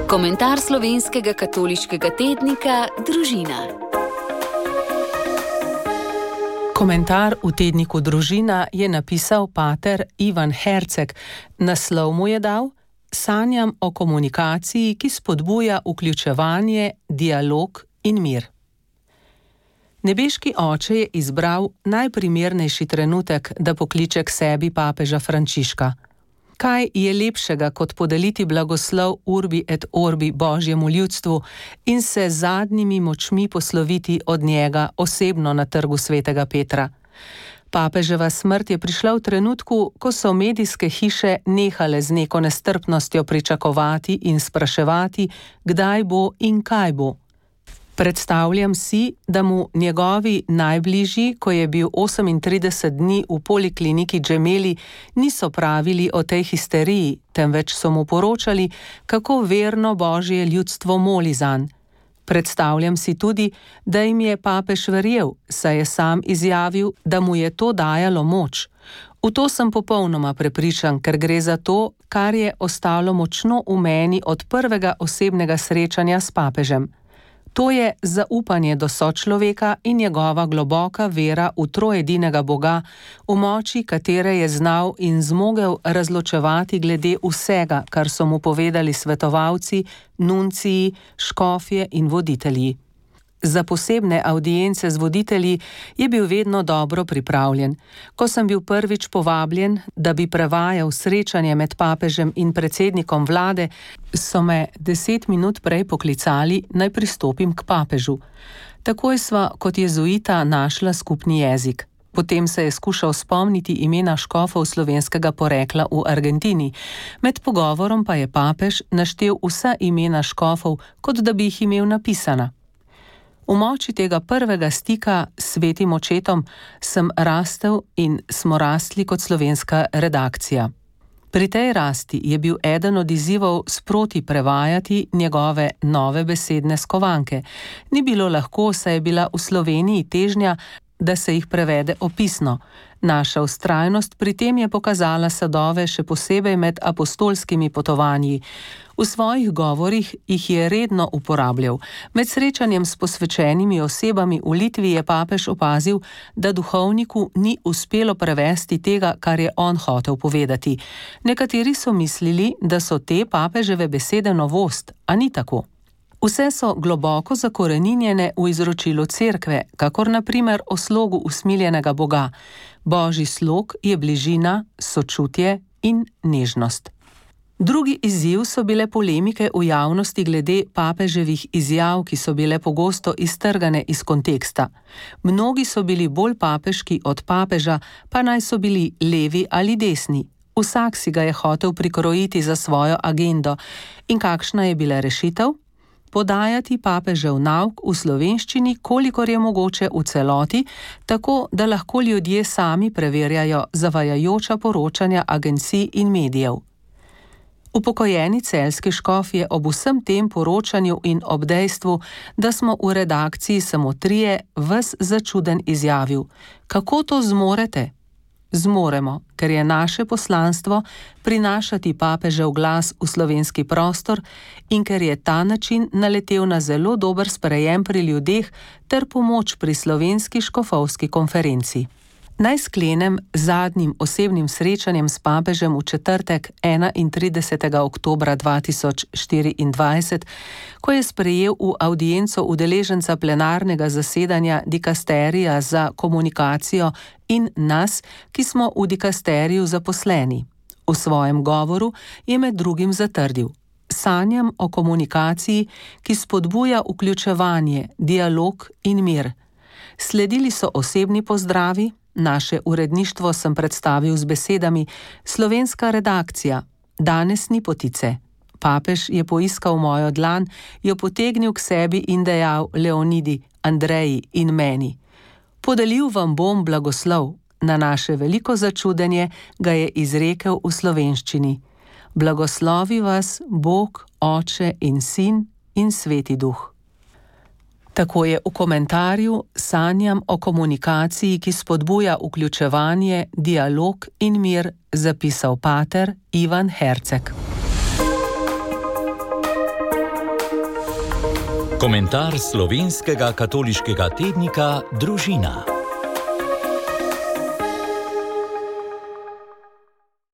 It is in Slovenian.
Komentar slovenskega katoliškega tednika Družina. Komentar v tedniku Družina je napisal pater Ivan Herceg. Naslov mu je dal: Sanjam o komunikaciji, ki spodbuja vključevanje, dialog in mir. Nebeški oče je izbral najprimernejši trenutek, da pokliče k sebi papeža Frančiška. Kaj je lepšega, kot podeliti blagoslov Urbi et Orbi Božjemu ljudstvu in se z zadnjimi močmi posloviti od njega osebno na trgu svetega Petra? Papeževa smrt je prišla v trenutku, ko so medijske hiše nehale z neko nestrpnostjo pričakovati in spraševati, kdaj bo in kaj bo. Predstavljam si, da mu njegovi najbližji, ko je bil 38 dni v polikliniki Gemelli, niso pravili o tej histeriji, temveč so mu poročali, kako verno Božje ljudstvo moli zanj. Predstavljam si tudi, da jim je papež verjel, saj je sam izjavil, da mu je to dajalo moč. V to sem popolnoma prepričan, ker gre za to, kar je ostalo močno v meni od prvega osebnega srečanja s papežem. To je zaupanje do sočloveka in njegova globoka vera v troedinega Boga, v moči katere je znal in zmogel razločevati glede vsega, kar so mu povedali svetovalci, nunciji, škofje in voditelji. Za posebne avdience z voditelji je bil vedno dobro pripravljen. Ko sem bil prvič povabljen, da bi prevajal srečanje med papežem in predsednikom vlade, so me 10 minut prej poklicali, naj pristopim k papežu. Takoj sva kot jezuita našla skupni jezik. Potem se je skušal spomniti imena škofov slovenskega porekla v Argentini. Med pogovorom pa je papež naštel vsa imena škofov, kot da bi jih imel napisana. V moči tega prvega stika s svetim očetom sem rastel in smo rastli kot slovenska redakcija. Pri tej rasti je bil eden od izzivov sproti prevajati njegove nove besedne skovanke. Ni bilo lahko, saj je bila v Sloveniji težnja, da se jih prevede opisno. Naša vztrajnost pri tem je pokazala sadove še posebej med apostolskimi potovanji. V svojih govorih jih je redno uporabljal. Med srečanjem s posvečenimi osebami v Litvi je papež opazil, da duhovniku ni uspelo prevesti tega, kar je on hotel povedati. Nekateri so mislili, da so te papeževe besede novost, a ni tako. Vse so globoko zakoreninjene v izročilu cerkve, kakor na primer o slogu usmiljenega Boga. Božji slog je bližina, sočutje in nežnost. Drugi izziv so bile polemike v javnosti glede papeževih izjav, ki so bile pogosto iztrgane iz konteksta. Mnogi so bili bolj papeški od papeža, pa naj so bili levi ali desni. Vsak si ga je hotel prikrojiti za svojo agendo. In kakšna je bila rešitev? Podajati papežev nauk v slovenščini, kolikor je mogoče v celoti, tako da lahko ljudje sami preverjajo zavajajoča poročanja agencij in medijev. Upokojeni celjski škof je ob vsem tem poročanju in ob dejstvu, da smo v redakciji samo trije, ves začuden izjavil: Kako to zmorete? Zmoremo, ker je naše poslanstvo prinašati papežev glas v slovenski prostor in ker je ta način naletel na zelo dober sprejem pri ljudeh ter pomoč pri slovenski škofovski konferenci. Naj sklenem z zadnjim osebnim srečanjem s papežem v četrtek 31. oktobra 2024, ko je sprejel v avdienco udeleženca plenarnega zasedanja dikasterija za komunikacijo in nas, ki smo v dikasteriju zaposleni. V svojem govoru je med drugim zatrdil: Sanjam o komunikaciji, ki spodbuja vključevanje, dialog in mir. Sledili so osebni pozdravi. Naše uredništvo sem predstavil z besedami: Slovenska redakcija, danes ni potice. Papež je poiskal mojo dlan, jo potegnil k sebi in dejal Leonidi, Andreji in meni: Podelil vam bom blagoslov. Na naše veliko začudenje ga je izrekel v slovenščini: Blagoslovi vas Bog, Oče in Sin in Sveti Duh. Tako je v komentarju Sanjam o komunikaciji, ki spodbuja vključevanje, dialog in mir, zapisal pater Ivan Herceg. Komentar slovenskega katoliškega tednika Družina.